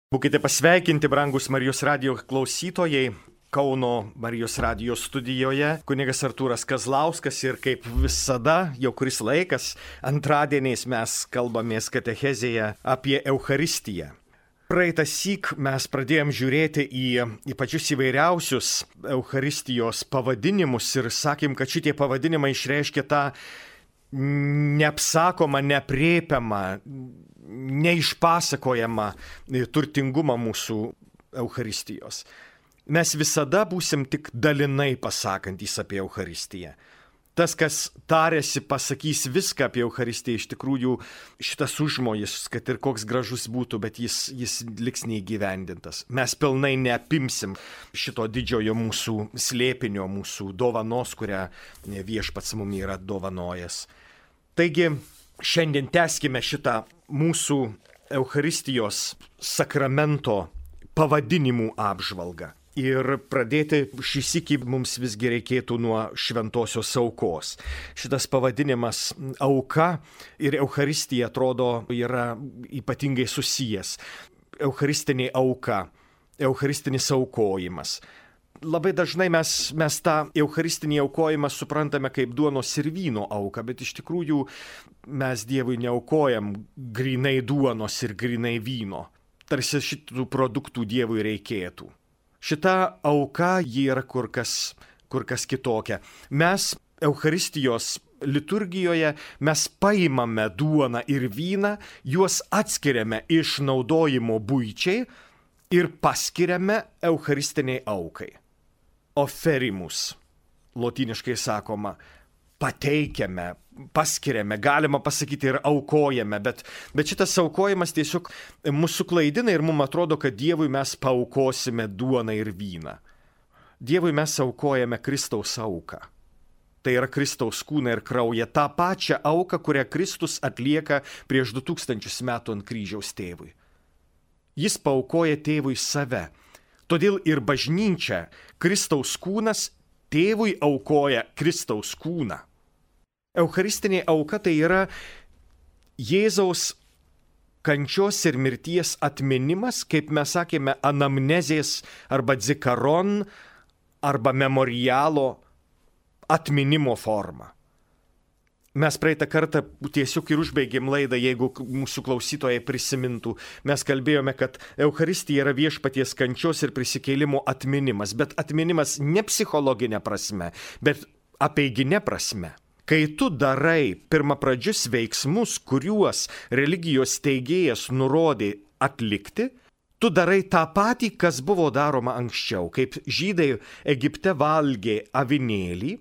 Būkite pasveikinti, brangus Marijos radijo klausytojai. Kauno Marijos radijo studijoje kunigas Artūras Kazlauskas ir kaip visada, jau kuris laikas, antradieniais mes kalbamės katechezėje apie Eucharistiją. Praeitą syk mes pradėjom žiūrėti į pačius įvairiausius Eucharistijos pavadinimus ir sakėm, kad šitie pavadinimai išreiškia tą neapsakomą, nepriepiamą, neišpasakojamą turtingumą mūsų Eucharistijos. Mes visada būsim tik dalinai pasakantys apie Eucharistiją. Tas, kas tarėsi, pasakys viską apie Eucharistiją, iš tikrųjų šitas užmojis, kad ir koks gražus būtų, bet jis liks neįgyvendintas. Mes pilnai neapimsim šito didžiojo mūsų slėpinio, mūsų dovanos, kurią Viešpats mums yra dovanojęs. Taigi, šiandien tęskime šitą mūsų Eucharistijos sakramento pavadinimų apžvalgą. Ir pradėti šį sykį mums visgi reikėtų nuo šventosios aukos. Šitas pavadinimas auka ir Eucharistija atrodo yra ypatingai susijęs. Eucharistinė auka, eucharistinis aukojimas. Labai dažnai mes tą eucharistinį aukojimą suprantame kaip duonos ir vyno auką, bet iš tikrųjų mes Dievui neaukojam grinai duonos ir grinai vyno. Tarsi šitų produktų Dievui reikėtų. Šita auka ji yra kur kas kitokia. Mes Eucharistijos liturgijoje mes paimame duoną ir vyną, juos atskiriame iš naudojimo buičiai ir paskiriame Eucharistiniai aukai. Oferimus, lotyniškai sakoma, pateikiame, paskiriame, galima pasakyti ir aukojame, bet šitas aukojimas tiesiog mūsų klaidina ir mums atrodo, kad Dievui mes paaukosime duoną ir vyną. Dievui mes aukojame Kristaus auką. Tai yra Kristaus kūną ir kraują, tą pačią auką, kurią Kristus atlieka prieš 2000 metų ant kryžiaus tėvui. Jis paaukoja tėvui save. Todėl ir bažnyčia, Kristaus kūnas, tėvui aukoja Kristaus kūną. Eucharistinė auka tai yra Jėzaus kančios ir mirties atminimas, kaip mes sakėme, anamnezės arba dzikaron arba memorialo atminimo forma. Mes praeitą kartą tiesiog ir užbaigėm laidą, jeigu mūsų klausytojai prisimintų. Mes kalbėjome, kad Eucharistija yra viešpaties kančios ir prisikėlimo atminimas, bet atminimas ne psichologinė prasme, bet apeiginė prasme. Kai tu darai pirmapradžius veiksmus, kuriuos religijos teigėjas nurodė atlikti, tu darai tą patį, kas buvo daroma anksčiau, kaip žydai Egipte valgė avinėlį.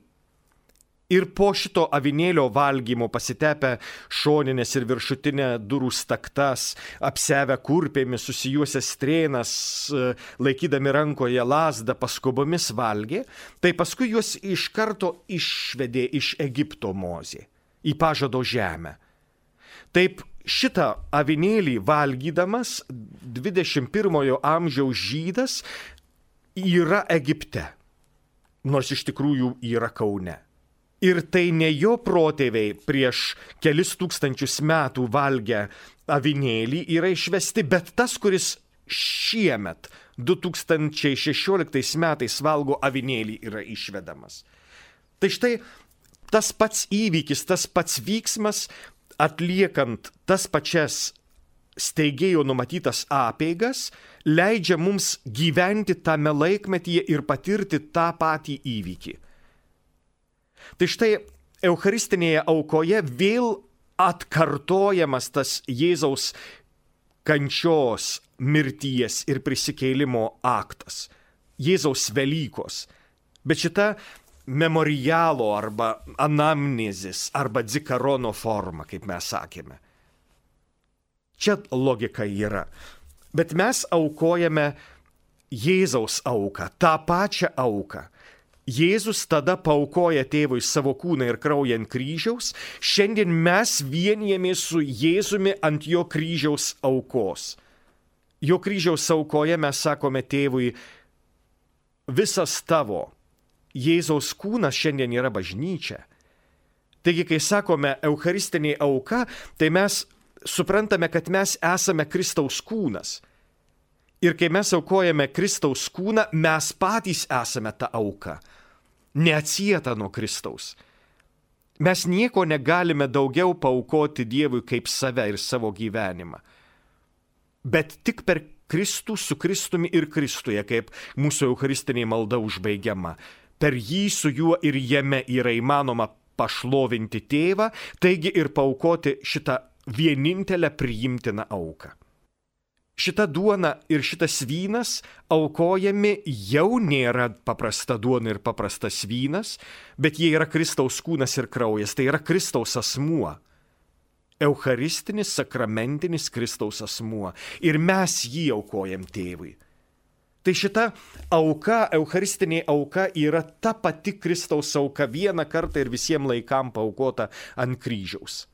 Ir po šito avinėlio valgymo pasitepę šoninės ir viršutinę durų staktas, apsevę kurpėmis, susijuosę strėnas, laikydami rankoje lazdą, paskubomis valgė, tai paskui juos iš karto išvedė iš Egipto Mozė į pažado žemę. Taip šitą avinėlį valgydamas 21 amžiaus žydas yra Egipte, nors iš tikrųjų yra Kaune. Ir tai ne jo protėviai prieš kelis tūkstančius metų valgę avinėlį yra išvesti, bet tas, kuris šiemet 2016 metais valgo avinėlį, yra išvedamas. Tai štai tas pats įvykis, tas pats vyksmas, atliekant tas pačias steigėjo numatytas apeigas, leidžia mums gyventi tame laikmetyje ir patirti tą patį įvykį. Tai štai Eucharistinėje aukoje vėl atkartojamas tas Jėzaus kančios, mirties ir prisikėlimo aktas. Jėzaus Velykos. Bet šita memorialo arba anamnezės arba dzikarono forma, kaip mes sakėme. Čia logika yra. Bet mes aukojame Jėzaus auką, tą pačią auką. Jėzus tada paaukoja tėvui savo kūną ir kraują ant kryžiaus, šiandien mes vienijamės su Jėzumi ant jo kryžiaus aukos. Jo kryžiaus aukoje mes sakome tėvui, visas tavo Jėzaus kūnas šiandien yra bažnyčia. Taigi, kai sakome eucharistinė auka, tai mes suprantame, kad mes esame Kristaus kūnas. Ir kai mes aukojame Kristaus kūną, mes patys esame ta auka, neatsieta nuo Kristaus. Mes nieko negalime daugiau paaukoti Dievui kaip save ir savo gyvenimą. Bet tik per Kristų, su Kristumi ir Kristuje, kaip mūsų eucharistinė malda užbaigiama. Per jį, su juo ir jame yra įmanoma pašlovinti tėvą, taigi ir paaukoti šitą vienintelę priimtiną auką. Šita duona ir šitas vynas aukojami jau nėra paprasta duona ir paprastas vynas, bet jie yra Kristaus kūnas ir kraujas, tai yra Kristaus asmuo. Eucharistinis, sakramentinis Kristaus asmuo. Ir mes jį aukojam tėvui. Tai šita auka, eucharistinė auka yra ta pati Kristaus auka vieną kartą ir visiems laikam paaukota ant kryžiaus.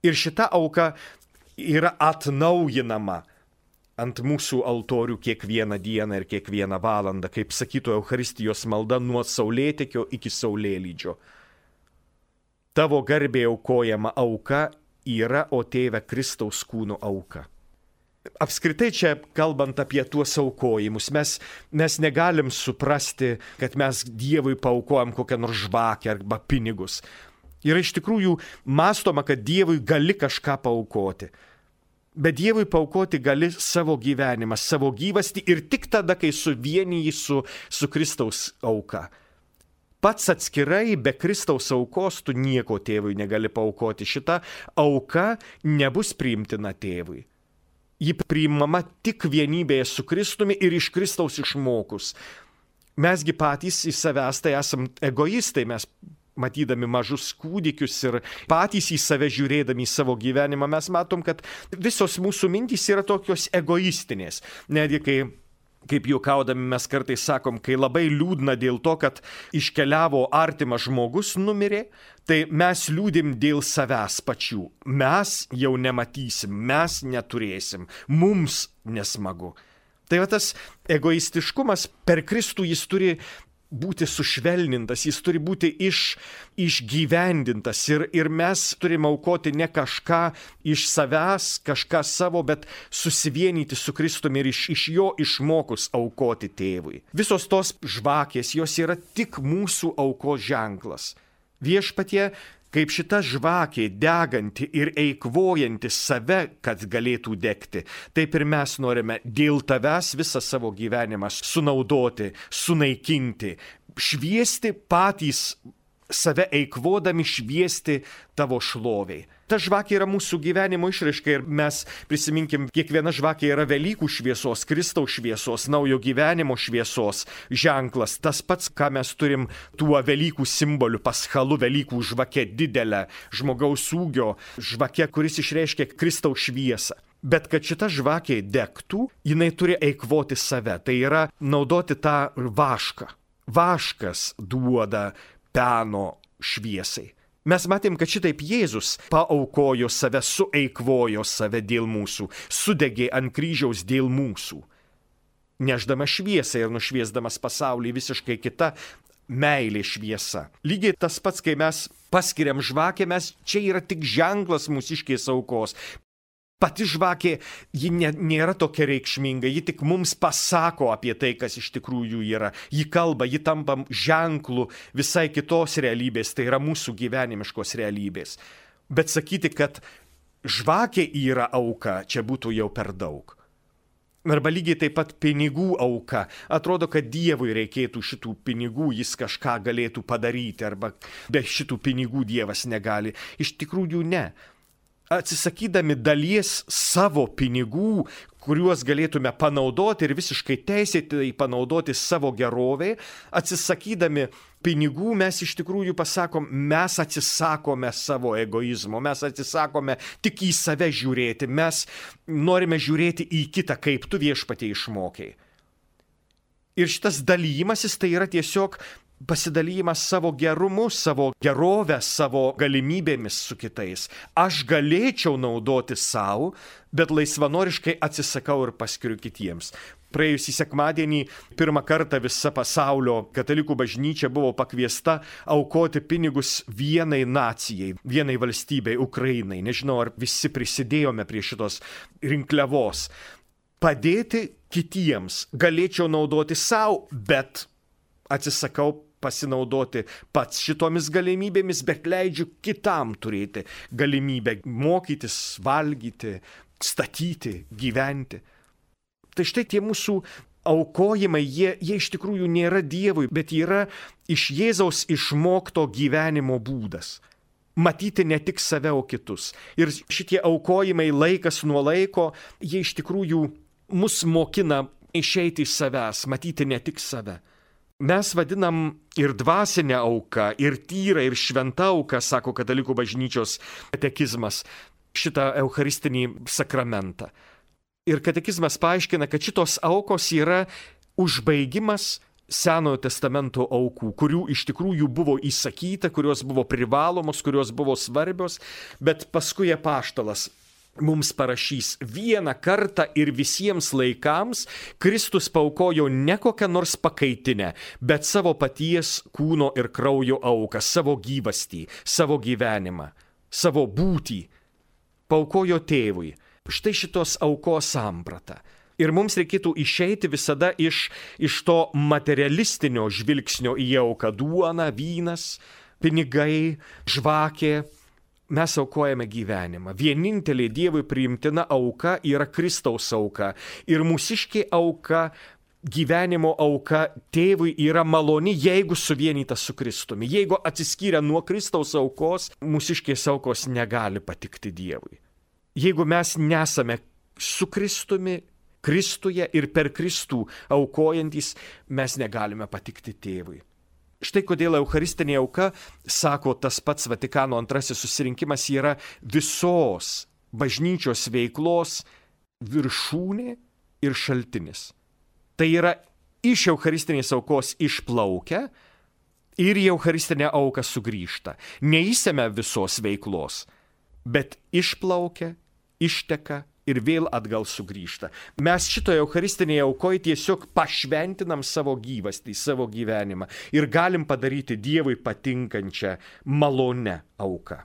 Ir šita auka yra atnaujinama ant mūsų altorių kiekvieną dieną ir kiekvieną valandą, kaip sakytų Eucharistijos malda nuo saulėtekio iki saulėlydžio. Tavo garbė aukojama auka yra, o tėve, Kristaus kūno auka. Apskritai čia, kalbant apie tuos aukojimus, mes negalim suprasti, kad mes Dievui paaukojam kokią nors žvakę arba pinigus. Yra iš tikrųjų mąstoma, kad Dievui gali kažką paaukoti. Bet Dievui paaukoti gali savo gyvenimą, savo gyvastį ir tik tada, kai suvieniji su Kristaus auka. Pats atskirai be Kristaus aukos tu nieko tėvui negali paaukoti. Šita auka nebus priimtina tėvui. Ji priimama tik vienybėje su Kristumi ir iš Kristaus išmokus. Mesgi patys į savęs tai esam egoistai, mes matydami mažus kūdikius ir patys į save žiūrėdami į savo gyvenimą, mes matom, kad visos mūsų mintys yra tokios egoistinės. Netgi kaip juokaudami mes kartais sakom, kai labai liūdna dėl to, kad iškeliavo artimas žmogus, numirė, tai mes liūdim dėl savęs pačių. Mes jau nematysim, mes neturėsim, mums nesmagu. Tai va tas egoistiškumas per Kristų jis turi būti sušvelnintas, jis turi būti išgyvendintas ir mes turime aukoti ne kažką iš savęs, kažką savo, bet susivienyti su Kristumi ir iš jo išmokus aukoti tėvui. Visos tos žvakės, jos yra tik mūsų aukos ženklas. Viešpatie, kaip šita žvakė deganti ir eikvojanti save, kad galėtų degti, taip ir mes norime dėl tavęs visą savo gyvenimą sunaudoti, sunaikinti, šviesti patys save eikvodami, šviesti tavo šloviai. Ta žvakė yra mūsų gyvenimo išraiška ir mes prisiminkim, kiekviena žvakė yra Velykų šviesos, Kristaus šviesos, naujo gyvenimo šviesos ženklas. Tas pats, ką mes turim tuo Velykų simboliu, paschalu, Velykų žvake, didelę žmogaus ūgio žvake, kuris išreiškia Kristaus šviesą. Bet kad šita žvakė degtų, jinai turi eikvoti save, tai yra naudoti tą vašką. Vaškas duoda peno šviesai. Mes matėm, kad šitaip Jėzus paaukojo save, sueikvojo save dėl mūsų, sudegė ant kryžiaus dėl mūsų, neždamas šviesą ir nušviesdamas pasaulį visiškai kita meilė šviesa. Lygiai tas pats, kai mes paskiriam žvakę, čia yra tik ženklas mūsiškės aukos. Pati žvakė, ji nėra tokia reikšminga, ji tik mums pasako apie tai, kas iš tikrųjų yra. Ji kalba, ji tampa ženklu visai kitos realybės, tai yra mūsų gyvenimiškos realybės. Bet sakyti, kad žvakė yra auka, čia būtų jau per daug. Arba lygiai taip pat pinigų auka. Atrodo, kad Dievui reikėtų šitų pinigų, jis kažką galėtų padaryti, arba be šitų pinigų Dievas negali. Iš tikrųjų ne. Atsisakydami dalies savo pinigų, kuriuos galėtume panaudoti ir visiškai teisėtai panaudoti savo gerovei, atsisakydami pinigų mes iš tikrųjų pasakom, mes atsisakome savo egoizmo, mes atsisakome tik į save žiūrėti, mes norime žiūrėti į kitą, kaip tu Viešpatie išmokei. Ir šitas dalymasis tai yra tiesiog pasidalymas savo gerumu, savo gerovę, savo galimybėmis su kitais. Aš galėčiau naudoti savo, bet laisvanoriškai atsisakau ir paskiriu kitiems. Praėjusį sekmadienį pirmą kartą visa pasaulio katalikų bažnyčia buvo pakviesta aukoti pinigus vienai nacijai, vienai valstybei, Ukrainai. Nežinau, ar visi prisidėjome prie šitos rinkliavos. Padėti kitiems, galėčiau naudoti savo, bet atsisakau pasinaudoti pats šitomis galimybėmis, bet leidžiu kitam turėti galimybę mokytis, valgyti, statyti, gyventi. Tai štai tie mūsų aukojimai, jie iš tikrųjų nėra Dievui, bet yra iš Jėzaus išmokto gyvenimo būdas. Matyti ne tik save, o kitus. Ir šitie aukojimai laikas nuo laiko, jie iš tikrųjų mus mokina išeiti iš savęs, matyti ne tik save. Mes vadinam ir dvasinę auką, ir tyrą, ir šventą auką, sako Katalikų bažnyčios katekizmas, šitą eucharistinį sakramentą. Ir katekizmas paaiškina, kad šitos aukos yra užbaigimas Senojo testamento aukų, kurių iš tikrųjų buvo įsakyta, kurios buvo privalomos, kurios buvo svarbios, bet paskui apaštalas mums parašys: vieną kartą ir visiems laikams Kristus paaukojo ne kokią nors pakaitinę, bet savo paties kūno ir kraujo auką, savo gyvastį, savo gyvenimą, savo būtį. Paaukojo tėvui. Štai šitos aukos samprata. Ir mums reikėtų išeiti visada iš to materialistinio žvilgsnio į auką: duona, vynas, pinigai, žvakė. Mes aukojame gyvenimą. Vienintelė Dievui priimtina auka yra Kristaus auka. Ir mūsiškė auka, gyvenimo auka tėvui yra maloni, jeigu suvienyta su Kristumi. Jeigu atsiskyrę nuo Kristaus aukos, mūsiškės aukos negali patikti Dievui. Jeigu mes nesame su Kristumi, Kristuje ir per Kristų aukojantis, mes negalime patikti tėvui. Štai kodėl eucharistinė auka, sako tas pats Vatikano antrasis susirinkimas, yra visos bažnyčios veiklos viršūnė ir šaltinis. Tai yra iš eucharistinės aukos išplaukia ir į eucharistinę auką sugrįžta. Neįsime visos veiklos, bet išplaukia, išteka ir vėl atgal sugrįžta. Mes šitoje eucharistinėje aukoje tiesiog pašventinam savo gyvastį, savo gyvenimą ir galim padaryti Dievui patinkančią malonę auką.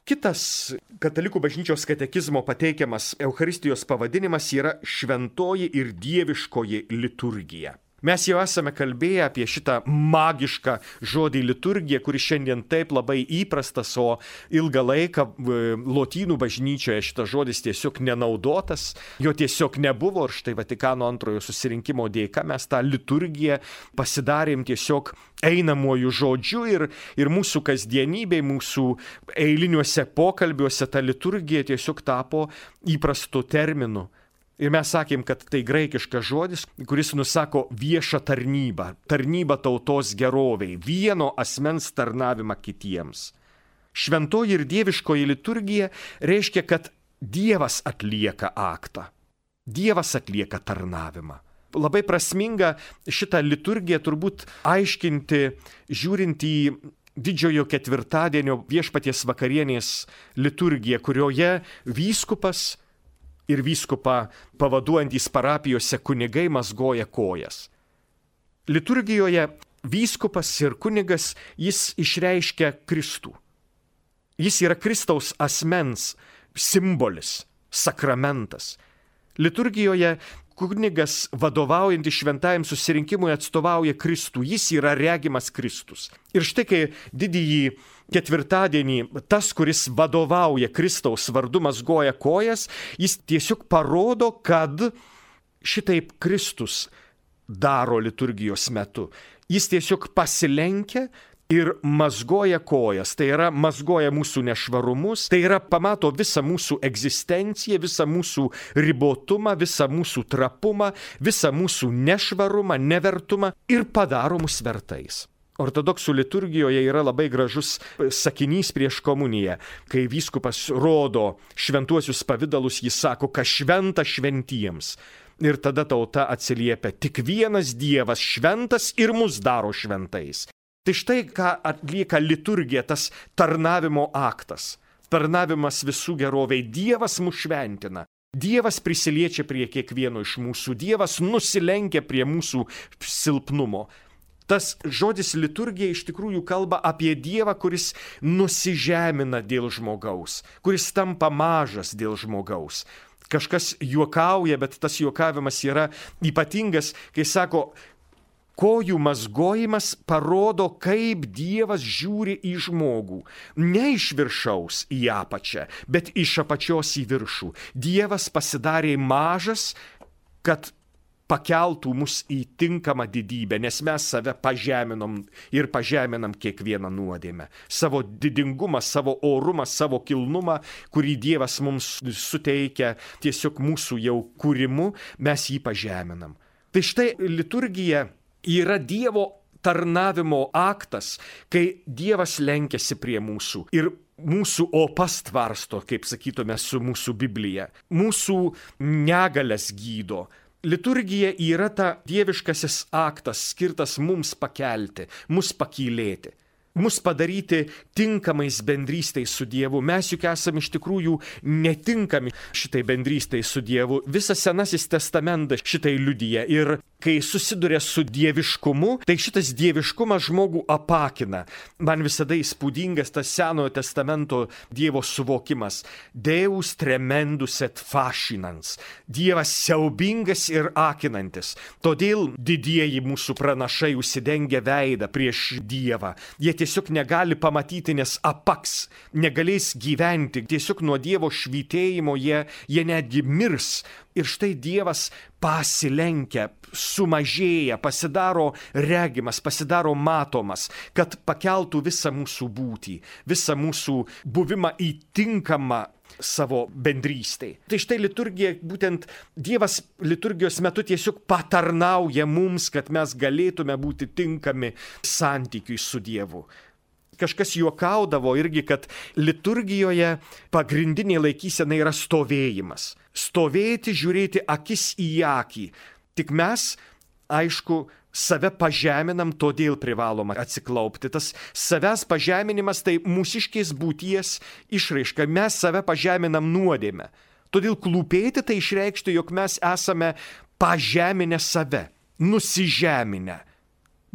Kitas Katalikų bažnyčios katekizmo pateikiamas eucharistijos pavadinimas yra šventoji ir dieviškoji liturgija. Mes jau esame kalbėję apie šitą magišką žodį liturgija, kuris šiandien taip labai įprastas, o ilgą laiką lotynų bažnyčioje šitas žodis tiesiog nenaudotas, jo tiesiog nebuvo, ir štai Vatikano antrojo susirinkimo dėka mes tą liturgiją pasidarėm tiesiog einamuoju žodžiu ir mūsų kasdienybėj, mūsų eiliniuose pokalbiuose ta liturgija tiesiog tapo įprastu terminu. Ir mes sakėm, kad tai graikiškas žodis, kuris nusako viešą tarnybą, tarnybą tautos geroviai, vieno asmens tarnavimą kitiems. Šventoji ir dieviškoji liturgija reiškia, kad Dievas atlieka aktą, Dievas atlieka tarnavimą. Labai prasminga šitą liturgiją turbūt aiškinti, žiūrint į Didžiojo ketvirtadienio viešpaties vakarienės liturgiją, kurioje vyskupas ir vyskupą pavaduojantys parapijose kunigai mazgoja kojas. Liturgijoje vyskupas ir kunigas, jis išreiškia Kristų. Jis yra Kristaus asmens simbolis, sakramentas. Liturgijoje kunigas vadovaujantis šventajam susirinkimui atstovauja Kristų, jis yra regimas Kristus. Ir štai kai didįjį ketvirtadienį tas, kuris vadovauja Kristaus vardu, mazgoja kojas, jis tiesiog parodo, kad šitaip Kristus daro liturgijos metu. Jis tiesiog pasilenkia ir mazgoja kojas, tai yra mazgoja mūsų nešvarumus, tai yra pamato visą mūsų egzistenciją, visą mūsų ribotumą, visą mūsų trapumą, visą mūsų nešvarumą, nevertumą ir padaro mus vertais. Ortodoksų liturgijoje yra labai gražus sakinys prieš komuniją, kai vyskupas rodo šventuosius pavidalus, jis sako, kad šventa šventiems. Ir tada tauta atsiliepia, tik vienas Dievas šventas ir mus daro šventais. Tai štai ką atlieka liturgija, tas tarnavimo aktas, tarnavimas visų geroviai. Dievas mus šventina, Dievas prisiliečia prie kiekvieno iš mūsų, Dievas nusilenkia prie mūsų silpnumo. Tas žodis liturgija iš tikrųjų kalba apie Dievą, kuris nusižemina dėl žmogaus, kuris tampa mažas dėl žmogaus, Kažkas juokauja, bet tas juokavimas yra ypatingas, kai sako, kojų mazgojimas parodo, kaip Dievas žiūri į žmogų. Ne iš viršaus į apačią, bet iš apačios į viršų. Dievas pasidarė mažas, kad pakeltų mus į tinkamą didybę, nes mes save pažeminom ir pažeminam kiekvieną nuodėmę. Savo didingumą, savo orumą, savo kilnumą, kurį Dievas mums suteikia tiesiog mūsų jau kūrimu, mes jį pažeminam. Tai štai liturgija yra Dievo tarnavimo aktas, kai Dievas lenkiasi prie mūsų ir mūsų opas tvarsto, kaip sakytume, su mūsų Biblija. Mūsų negalias gydo. Liturgija yra ta dieviškasis aktas, skirtas mums pakelti, mus pakylėti, mus padaryti tinkamais bendrystei su Dievu. Mes juk esame iš tikrųjų netinkami šitai bendrystei su Dievu. Visas Senasis testamentas šitai liudija. Ir kai susiduria su dieviškumu, tai šitas dieviškumas žmogų apakina. Man visada įspūdingas tas Senojo testamento Dievo suvokimas. Deus tremendus et fascinans. Dievas siaubingas ir akinantis. Todėl didieji mūsų pranašai užsidengia veidą prieš Dievą. Jie tiesiog negali pamatyti, nes apaks, negalės gyventi. Tiesiog nuo Dievo švytėjimo jie netgi mirs. Ir štai Dievas pasilenkia, sumažėja, pasidaro regimas, pasidaro matomas, kad pakeltų visą mūsų būtį, visą mūsų buvimą į tinkamą savo bendrystei. Tai štai liturgija, būtent Dievas liturgijos metu tiesiog patarnauja mums, kad mes galėtume būti tinkami santykiui su Dievu. Kažkas juokaudavo irgi, kad liturgijoje pagrindinė laikysena yra stovėjimas. Stovėti, žiūrėti akis į akį. Tik mes, aišku, save pažeminam, todėl privaloma atsiklaupti. Tas savęs pažeminimas tai mūsiškės būties išraiška. Mes save pažeminam nuodėmę. Todėl klūpėti tai išreikšti, jog mes esame pažeminę save, nusižeminę.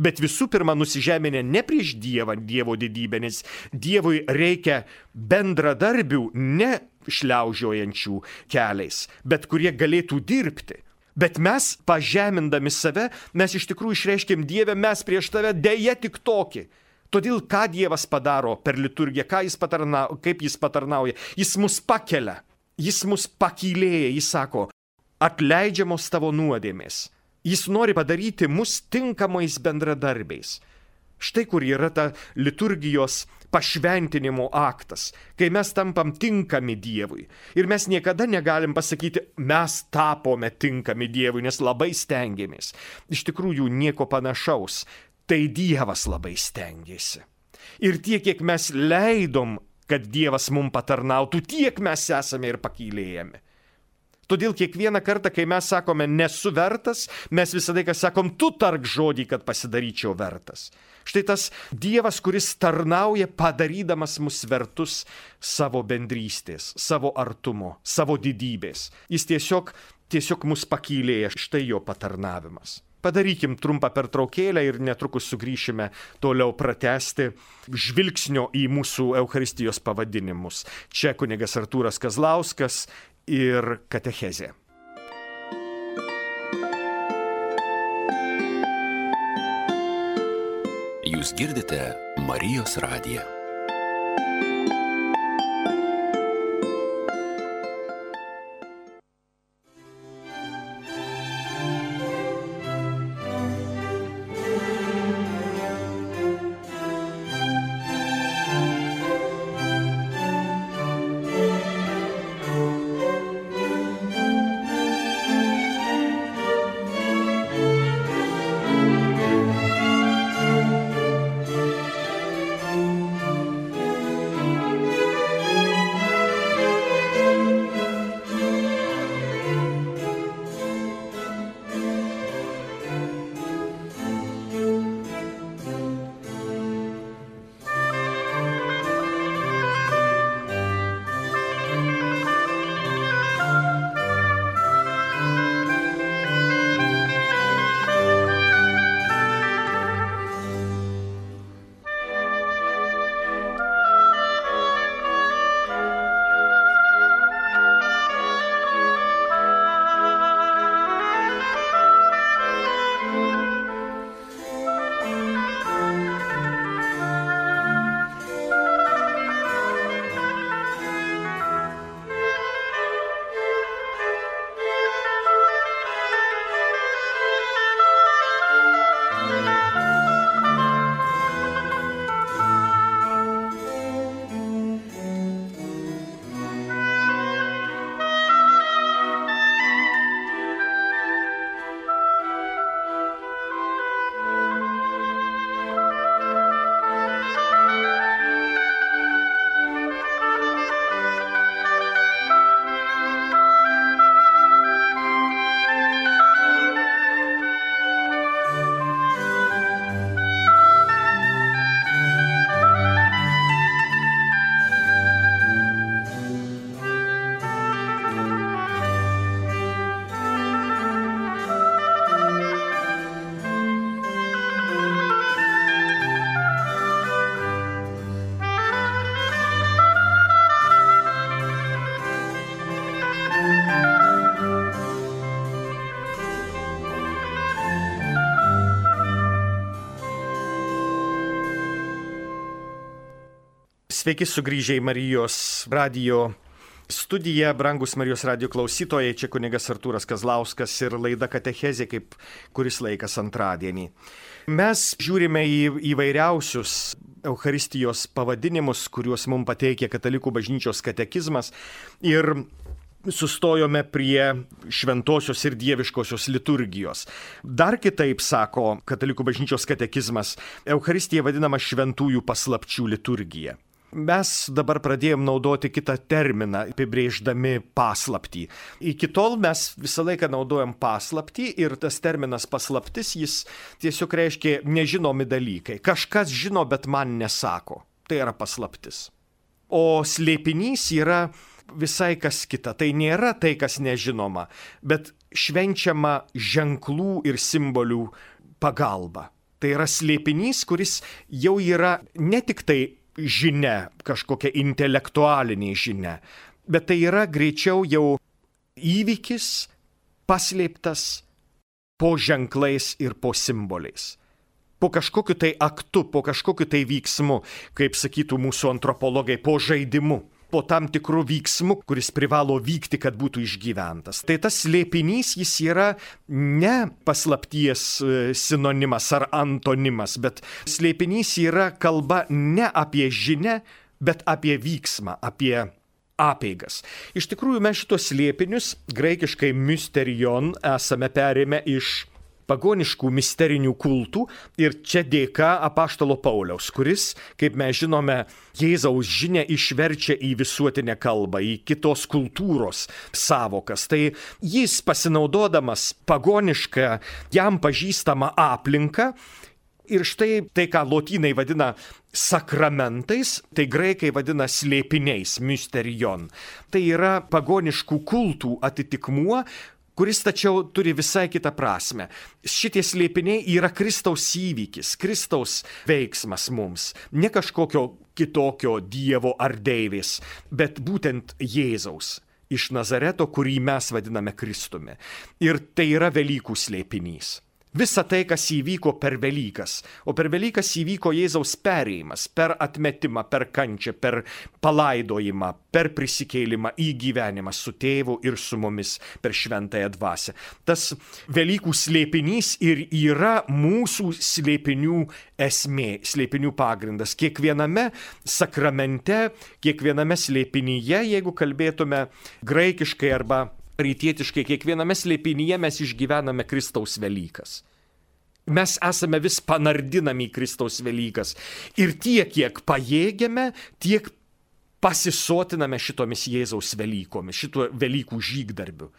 Bet visų pirma nusižeminę ne prieš Dievą, Dievo didybę, nes Dievui reikia bendradarbių, ne šliaužiojančių keliais, bet kurie galėtų dirbti. Bet mes, pažemindami save, mes iš tikrųjų išreiškėm Dievę, mes prieš tave deja tik tokį. Todėl ką Dievas padaro per liturgiją, kaip jis patarnauja, jis mus pakelia, jis mus pakylėja, jis sako, atleidžiamos tavo nuodėmės. Jis nori padaryti mus tinkamais bendradarbiais. Štai kur yra ta liturgijos pašventinimo aktas, kai mes tampam tinkami Dievui. Ir mes niekada negalim pasakyti, mes tapome tinkami Dievui, nes labai stengiamės. Iš tikrųjų nieko panašaus. Tai Dievas labai stengiasi. Ir tiek, kiek mes leidom, kad Dievas mums patarnautų, tiek mes esame ir pakylėjami. Todėl kiekvieną kartą, kai mes sakome nesu vertas, mes visada sakom, tu tark žodį, kad pasidaryčiau vertas. Štai tas Dievas, kuris tarnauja, padarydamas mus vertus savo bendrystės, savo artumo, savo didybės. Jis tiesiog mus pakylėja, štai jo patarnavimas. Padarykim trumpą pertraukėlę ir netrukus sugrįšime toliau pratęsti žvilgsnio į mūsų Eucharistijos pavadinimus. Čia kunigas Artūras Kazlauskas ir katechezė. Jūs girdite Marijos radiją. Sveiki sugrįžę į Marijos radijo studiją, brangus Marijos radijo klausytojai, čia kunigas Artūras Kazlauskas ir laida Katechezė, kaip kuris laikas antradienį. Mes žiūrime į įvairiausius Eucharistijos pavadinimus, kuriuos mums pateikia Katalikų bažnyčios katekizmas ir sustojome prie šventosios ir dieviškosios liturgijos. Dar kitaip sako Katalikų bažnyčios katekizmas, Eucharistija vadinama šventųjų paslapčių liturgija. Mes dabar pradėjom naudoti kitą terminą, apibrėždami paslaptį. Iki tol mes visą laiką naudojam paslaptį ir tas terminas paslaptis, jis tiesiog reiškia nežinomi dalykai. Kažkas žino, bet man nesako. Tai yra paslaptis. O slėpinys yra visai kas kita. Tai nėra tai, kas nežinoma, bet švenčiama ženklų ir simbolių pagalba. Tai yra slėpinys, kuris jau yra ne tik tai žinia, kažkokia intelektualinė žinia, bet tai yra greičiau jau įvykis paslėptas po ženklais ir po simboliais. Po kažkokiu tai aktu, po kažkokiu tai veiksmu, kaip sakytų mūsų antropologai, po žaidimu, po tam tikrų veiksmų, kuris privalo vykti, kad būtų išgyventas. Tai tas slėpinys, jis yra ne paslapties sinonimas ar antonimas, bet slėpinys yra kalba ne apie žinią, bet apie vyksmą, apie apeigas. Iš tikrųjų, mes šitos slėpinius, graikiškai mysterion, esame perėmę iš pagoniškų misterinių kultų ir čia dėka apaštalo Pauliaus, kuris, kaip mes žinome, Jėzaus žinią išverčia į visuotinę kalbą, į kitos kultūros savokas. Tai jis pasinaudodamas pagonišką, jam pažįstamą aplinką, ir štai tai, ką lotynai vadina sakramentais, tai graikai vadina slėpiniais, mysterion. Tai yra pagoniškų kultų atitikmuo, kuris tačiau turi visai kitą prasme. Šitie slėpiniai yra Kristaus įvykis, Kristaus veiksmas mums, ne kažkokio kitokio dievo ar deivės, bet būtent Jėzaus iš Nazareto, kurį mes vadiname Kristumi. Ir tai yra Velykų slėpinys. Visa tai, kas įvyko per Velykas, o per Velykas įvyko Jėzaus perėjimas, per atmetimą, per kančią, per palaidojimą, per prisikėlimą į gyvenimą su tėvu ir su mumis per šventąją dvasią. Tas Velykų slėpinys ir yra mūsų slėpinių esmė, slėpinių pagrindas. Kiekviename sakramente, kiekviename slėpinyje, jeigu kalbėtume graikiškai arba rytietiškai, kiekviename slėpinyje mes išgyvename Kristaus Velykas. Mes esame vis panardinami į Kristaus Velykas. Ir tiek, kiek pajėgiame, tiek pasisotiname šitomis Jėzaus Velykomis, šito Velykų žygdarbiu.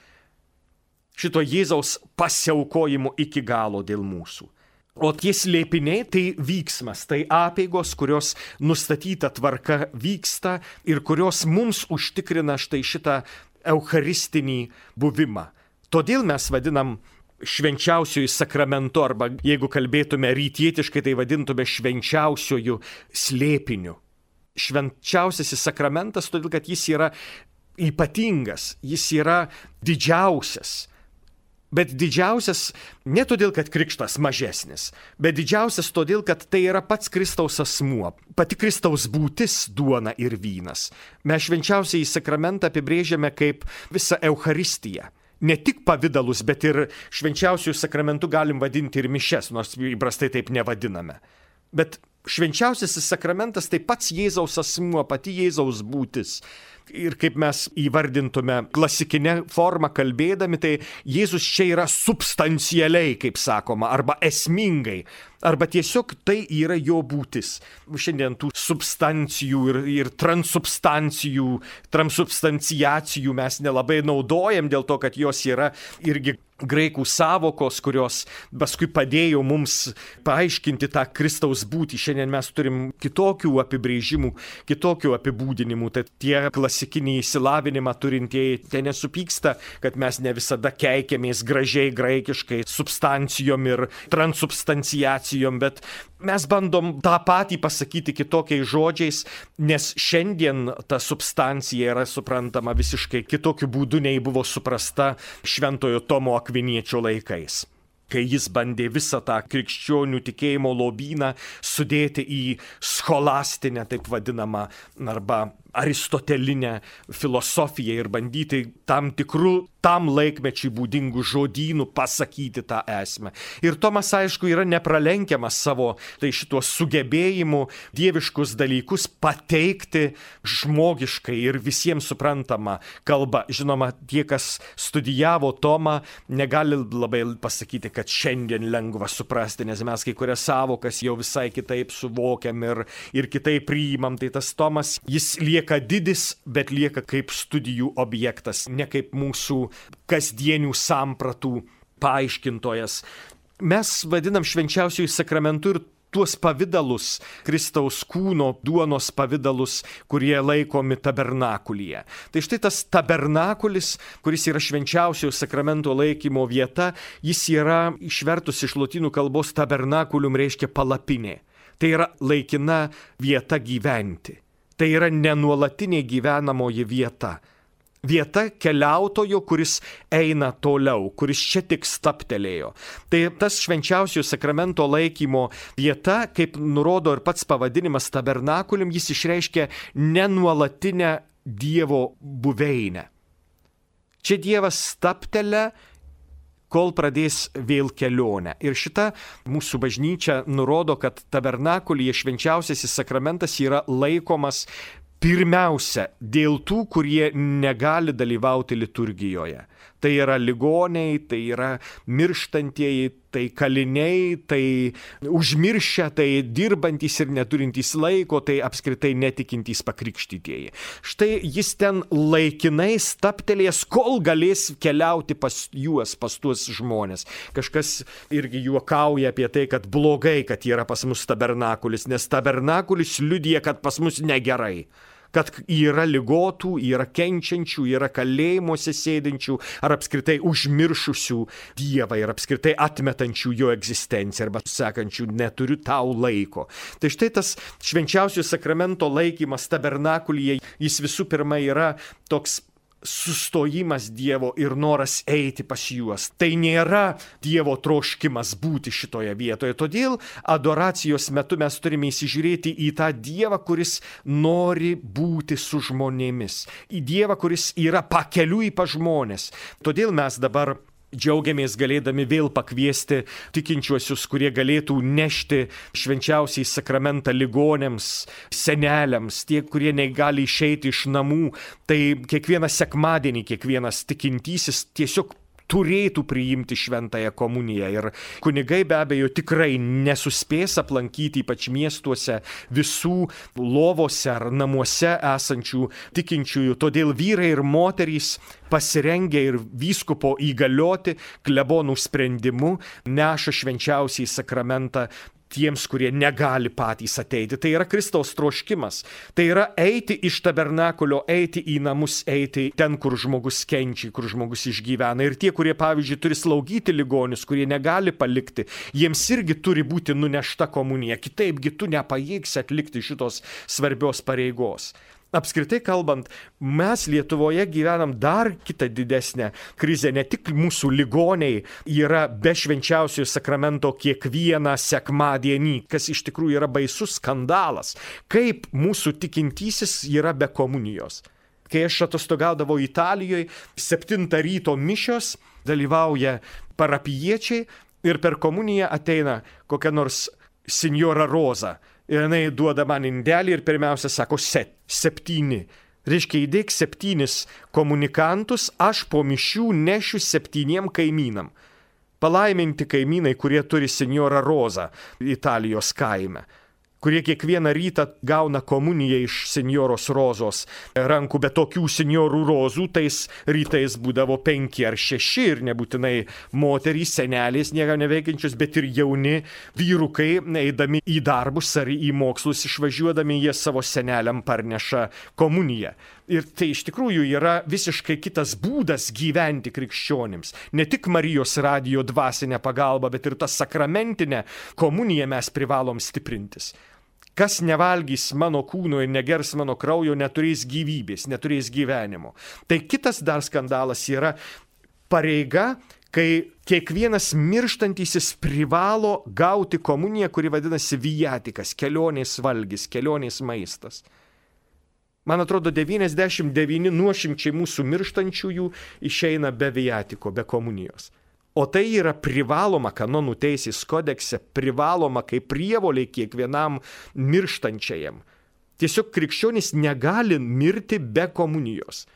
Šito Jėzaus pasiaukojimu iki galo dėl mūsų. O tie slėpiniai tai vyksmas, tai apeigos, kurios nustatyta tvarka vyksta ir kurios mums užtikrina štai šitą eucharistinį buvimą. Todėl mes vadinam švenčiausiųjų sakramentu, arba jeigu kalbėtume rytietiškai, tai vadintume švenčiausiųjų slėpiniu. Švenčiausiasis sakramentas, todėl kad jis yra ypatingas, jis yra didžiausias. Bet didžiausias ne todėl, kad krikštas mažesnis, bet didžiausias todėl, kad tai yra pats Kristaus asmuo, pati Kristaus būtis, duona ir vynas. Mes švenčiausiąjį sakramentą apibrėžiame kaip visą Eucharistiją. Ne tik pavydalus, bet ir švenčiausiųjų sakramentų galim vadinti ir mišes, nors įprastai taip nevadiname. Bet švenčiausiasis sakramentas tai pats Jėzaus asmuo, pati Jėzaus būtis. Ir kaip mes įvardintume klasikinę formą kalbėdami, tai Jėzus čia yra substancialiai, kaip sakoma, arba esmingai, arba tiesiog tai yra jo būtis. Šiandien tų substancijų ir transubstanciacijų mes nelabai naudojam dėl to, kad jos yra irgi graikų savokos, kurios paskui padėjo mums paaiškinti tą Kristaus būtį. Šiandien mes turim kitokių apibrėžimų, kitokių apibūdinimų. Tai tie klasikinį išsilavinimą turintieji ten nesupyksta, kad mes ne visada keikiamės gražiai graikiškai substancijom ir transubstanciacijom, bet mes bandom tą patį pasakyti kitokiais žodžiais, nes šiandien ta substancija yra suprantama visiškai kitokiu būdu, nei buvo suprasta Šventojo Tomo Akviniečio laikais. kai jis bandė visą tą krikščionių tikėjimo lobyną sudėti į scholastinę, taip vadinamą, arba aristotelinę filosofiją ir bandyti tam tikrų tam laikmečiui būdingų žodynų pasakyti tą esmę. Ir Tomas, aišku, yra nepralenkiamas savo šituo sugebėjimu dieviškus dalykus pateikti žmogiškai ir visiems suprantama kalba. Žinoma, tie, kas studijavo Tomą, negali labai pasakyti, kad šiandien lengva suprasti, nes mes kai kurias savokas jau visai kitaip suvokiam ir kitaip priimam. Tai tas Tomas, jis lieka didis, bet lieka kaip studijų objektas, ne kaip mūsų kasdienių sampratų paaiškintojas. Mes vadinam švenčiausiųjų sakramentų ir tuos pavidalus, Kristaus kūno duonos pavidalus, kurie laikomi tabernakulyje. Tai štai tas tabernakulis, kuris yra švenčiausiojo sakramento laikymo vieta, jis yra išvertus iš lotynų kalbos tabernakulium reiškia palapinė. Tai yra laikina vieta gyventi. Tai yra nenuolatinė gyvenamoji vieta. Vieta keliautojo, kuris eina toliau, kuris čia tik staptelėjo. Tai tas švenčiausiojo sakramento laikymo vieta, kaip nurodo ir pats pavadinimas tabernakulium, jis išreiškia nenuolatinę Dievo buveinę. Čia Dievas staptelia, kol pradės vėl kelionę. Ir šita mūsų bažnyčia nurodo, kad tabernakulyje švenčiausiasis sakramentas yra laikomas pirmiausia dėl tų, kurie negali dalyvauti liturgijoje. Tai yra ligoniai, tai yra mirštantieji, tai kaliniai, tai užmiršę, tai dirbantys ir neturintys laiko, tai apskritai netikintys pakrikštytieji. Štai jis ten laikinai staptelės, kol galės keliauti pas juos, pas tuos žmonės. Kažkas irgi juokauja apie tai, kad blogai, kad yra pas mus tabernakulis, nes tabernakulis liudija, kad pas mus negerai. Kad yra ligotų, yra kenčiančių, yra kalėjimuose sėdinčių, ar apskritai užmiršusių Dievą ir apskritai atmetančių jo egzistenciją, arba sakančių, neturiu tau laiko. Tai štai tas švenčiausiojo sakramento laikymas tabernakulyje, jis visų pirma yra toks sustojimas Dievo ir noras eiti pas juos. Tai nėra Dievo troškimas būti šitoje vietoje. Todėl adoracijos metu mes turime įsižiūrėti į tą Dievą, kuris nori būti su žmonėmis. Į Dievą, kuris yra pakeliui pas žmonės. Todėl mes dabar džiaugiamės galėdami vėl pakviesti tikinčiuosius, kurie galėtų nešti švenčiausiai sakramentą ligonėms, seneliams, tie, kurie negali išeiti iš namų. Tai kiekvieną sekmadienį, kiekvienas tikintysis tiesiog turėtų priimti šventąją komuniją. Ir kunigai be abejo tikrai nesuspės aplankyti, ypač miestuose, visų lovose ar namuose esančių tikinčiųjų. Todėl vyrai ir moterys pasirengę ir vyskupo įgalioti klebonų sprendimu neša švenčiausiai sakramentą tiems, kurie negali patys ateiti. Tai yra Kristaus troškimas. Tai yra eiti iš tabernakulio, eiti į namus, eiti ten, kur žmogus kenčia, kur žmogus išgyvena. Ir tie, kurie, pavyzdžiui, turi slaugyti ligonius, kurie negali palikti, jiems irgi turi būti nunešta komunija. Kitaipgi tu nepajėgsi atlikti šitos svarbios pareigos. Apskritai kalbant, mes Lietuvoje gyvenam dar kitą didesnę krizę. Ne tik mūsų ligoniai yra be švenčiausiojo sakramento kiekvieną sekmadienį, kas iš tikrųjų yra baisus skandalas. Kaip mūsų tikintysis yra be komunijos. Kai aš atostogaudavau Italijoje, 7 ryto mišios dalyvauja parapijiečiai ir per komuniją ateina kokia nors Signora Roza. Ir jinai duoda man indelį ir pirmiausia sako 7. Reiškia, įdėk 7 komunikantus, aš po mišių nešiu 7 kaimynam. Palaiminti kaimynai, kurie turi Signora Rozą Italijos kaime, kurie kiekvieną rytą gauna komuniją iš Signoros Rozos rankų, bet tokių Signorų Rozų tais rytais būdavo 5 ar 6 ir nebūtinai moterys, senelės, nieko neveikiančios, bet ir jauni vyrukai, eidami į darbus ar į mokslus išvažiuodami, jie savo seneliam parneša komuniją. Ir tai iš tikrųjų yra visiškai kitas būdas gyventi krikščionims. Ne tik Marijos radijo dvasinę pagalbą, bet ir tą sakramentinę komuniją mes privalom stiprintis. Kas nevalgys mano kūno ir negers mano kraujo, neturės gyvybės, neturės gyvenimo. Tai kitas dar skandalas yra pareiga kai kiekvienas mirštantysis privalo gauti komuniją, kuri vadinasi viatikas, kelionės valgis, kelionės maistas. Man atrodo, 99 nuošimčiai mūsų mirštančiųjų išeina be viatiko, be komunijos. O tai yra privaloma kanonų teisės kodekse, privaloma kaip prievolė kiekvienam mirštančiajam. Tiesiog krikščionis negali mirti be komunijos.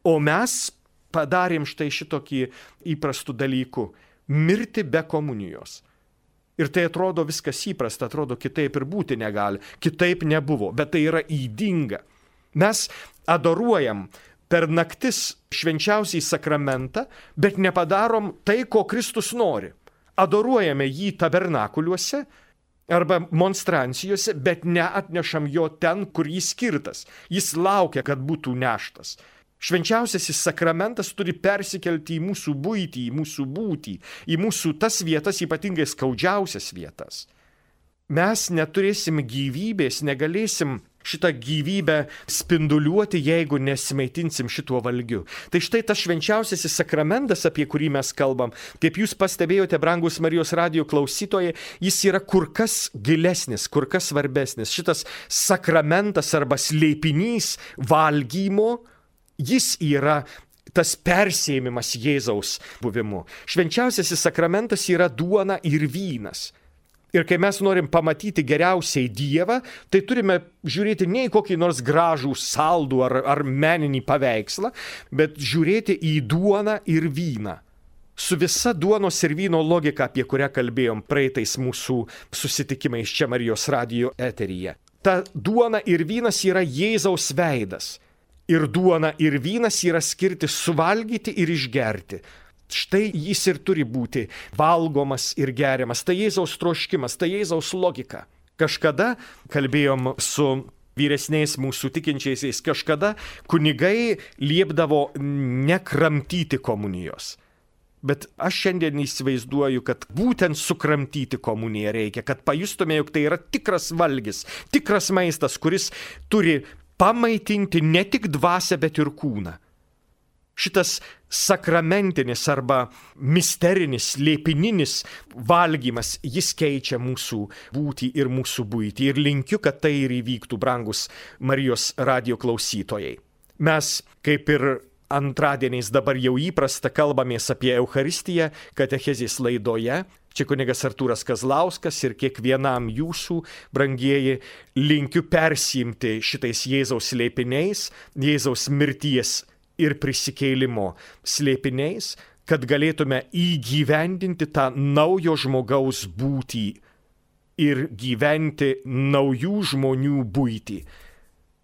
O mes padarėm štai šitokį įprastų dalykų – mirti be komunijos. Ir tai atrodo viskas įprasta, atrodo kitaip ir būti negali, kitaip nebuvo, bet tai yra ydinga. Mes adoruojam per naktis švenčiausiai sakramentą, bet nepadarom tai, ko Kristus nori. Adoruojame jį tabernakuliuose arba monstrancijose, bet neatnešam jo ten, kur jis skirtas. Jis laukia, kad būtų neštas. Švenčiausiasis sakramentas turi persikelti į mūsų buitį, į mūsų būtį, į mūsų tas vietas, ypatingai skaudžiausias vietas. Mes neturėsim gyvybės, negalėsim šitą gyvybę spinduliuoti, jeigu nesimaitinsim šituo valgiu. Tai štai tas švenčiausiasis sakramentas, apie kurį mes kalbam, kaip jūs pastebėjote, brangus Marijos radijo klausytojai, jis yra kur kas gilesnis, kur kas svarbesnis. Šitas sakramentas arba slėpinys valgymo, jis yra tas persėmimas Jėzaus buvimu. Švenčiausiasis sakramentas yra duona ir vynas. Ir kai mes norim pamatyti geriausiai Dievą, tai turime žiūrėti ne į kokį nors gražų saldų ar meninį paveikslą, bet žiūrėti į duoną ir vyną. Su visa duonos ir vyno logika, apie kurią kalbėjom praeitais mūsų susitikimais čia Marijos radijo eteryje. Ta duona ir vynas yra Jėzaus veidas. Ir duona ir vynas yra skirti suvalgyti ir išgerti. Štai jis ir turi būti valgomas ir geriamas. Tai Jėzaus troškimas, tai Jėzaus logika. Kažkada kalbėjom su vyresniais mūsų tikinčiaisiais, kažkada kunigai liepdavo nekramtyti komunijos. Bet aš šiandien įsivaizduoju, kad būtent sukramtyti komuniją reikia, kad pajustume, jog tai yra tikras valgis, tikras maistas, kuris turi pamaitinti ne tik dvasią, bet ir kūną. Šitas sakramentinis arba misterinis, slėpininis valgymas, jis keičia mūsų būtį ir mūsų buitį. Ir linkiu, kad tai ir įvyktų, brangus Marijos radijo klausytojai. Mes, kaip ir antradieniais dabar jau įprasta, kalbamės apie Eucharistiją katechezės laidoje. Čia kunigas Artūras Kazlauskas ir kiekvienam jūsų, brangieji, linkiu persiimti šitais Jėzaus slėpiniais, Jėzaus mirties ir prisikėlimo slėpiniais, kad galėtume įgyvendinti tą naujo žmogaus būtį ir gyventi naujų žmonių buitį.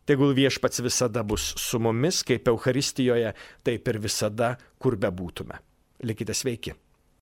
Tegul Viešpats visada bus su mumis, kaip Eucharistijoje, taip ir visada, kur bebūtume. Likite sveiki.